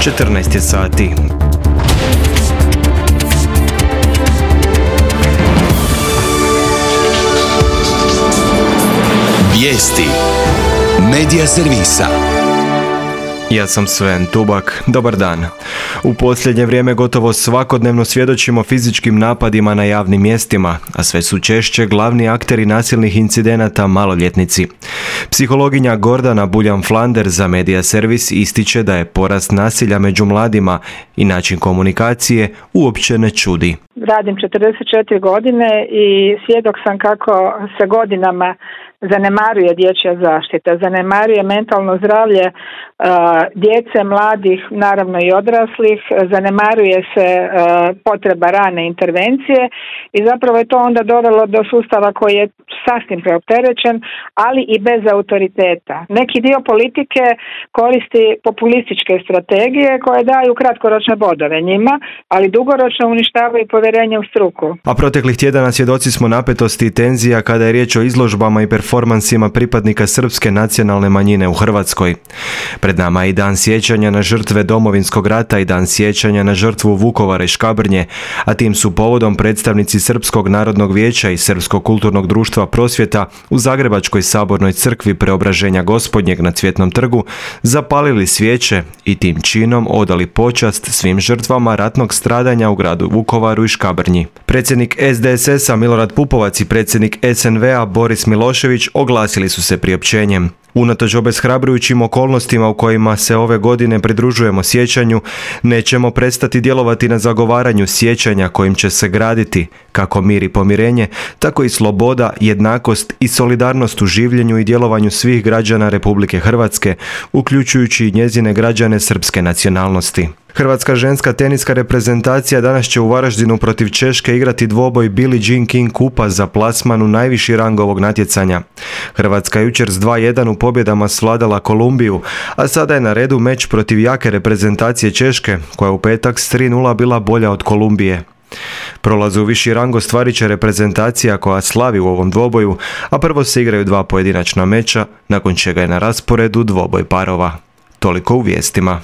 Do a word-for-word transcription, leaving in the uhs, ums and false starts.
četrnaest je sati. Vijesti Medija servisa. Ja sam Sven Tubak, dobar dan. U posljednje vrijeme gotovo svakodnevno svjedočimo fizičkim napadima na javnim mjestima, a sve su češće glavni akteri nasilnih incidenata maloljetnici. Psihologinja Gordana Buljan-Flander za Medija servis ističe da je porast nasilja među mladima i način komunikacije uopće ne čudi. Radim četrdeset četiri godine i svjedok sam kako se godinama zanemaruje dječja zaštita, zanemaruje mentalno zdravlje uh, djece, mladih, naravno i odraslih, zanemaruje se uh, potreba rane intervencije i zapravo je to onda dovelo do sustava koji je sasvim preopterećen, ali i bez autoriteta. Neki dio politike koristi populističke strategije koje daju kratkoročne bodove njima, ali dugoročno uništavaju povjerenje u struku. A proteklih tjedana svjedoci smo napetosti i tenzija kada je riječ o izložbama i performansima pripadnika srpske nacionalne manjine u Hrvatskoj. Pred nama je i dan sjećanja na žrtve Domovinskog rata i dan sjećanja na žrtvu Vukovara i Škabrnje, a tim su povodom predstavnici Srpskog narodnog vijeća i Srpskog kulturnog društva Prosvjeta u Zagrebačkoj sabornoj crkvi Preobraženja Gospodnjeg na Cvjetnom trgu zapalili svijeće i tim činom odali počast svim žrtvama ratnog stradanja u gradu Vukovaru i Škabrnji. Predsjednik S D S S-a Milorad Pupovac i predsjednik S N V-a Boris Milošević oglasili su se priopćenjem. Unatoč obeshrabrujućim okolnostima u kojima se ove godine pridružujemo sjećanju, nećemo prestati djelovati na zagovaranju sjećanja kojim će se graditi kako mir i pomirenje, tako i sloboda, jednakost i solidarnost u življenju i djelovanju svih građana Republike Hrvatske, uključujući i njezine građane srpske nacionalnosti. Hrvatska ženska teniska reprezentacija danas će u Varaždinu protiv Češke igrati dvoboj Billie Jean King kupa za plasman u najviši rang ovog natjecanja. Hrvatska jučer s dva jedan u pobjedama svladala Kolumbiju, a sada je na redu meč protiv jake reprezentacije Češke, koja je u petak s tri nula bila bolja od Kolumbije. Prolaz u viši rang ostvarit će reprezentacija koja slavi u ovom dvoboju, a prvo se igraju dva pojedinačna meča, nakon čega je na rasporedu dvoboj parova. Toliko u vijestima.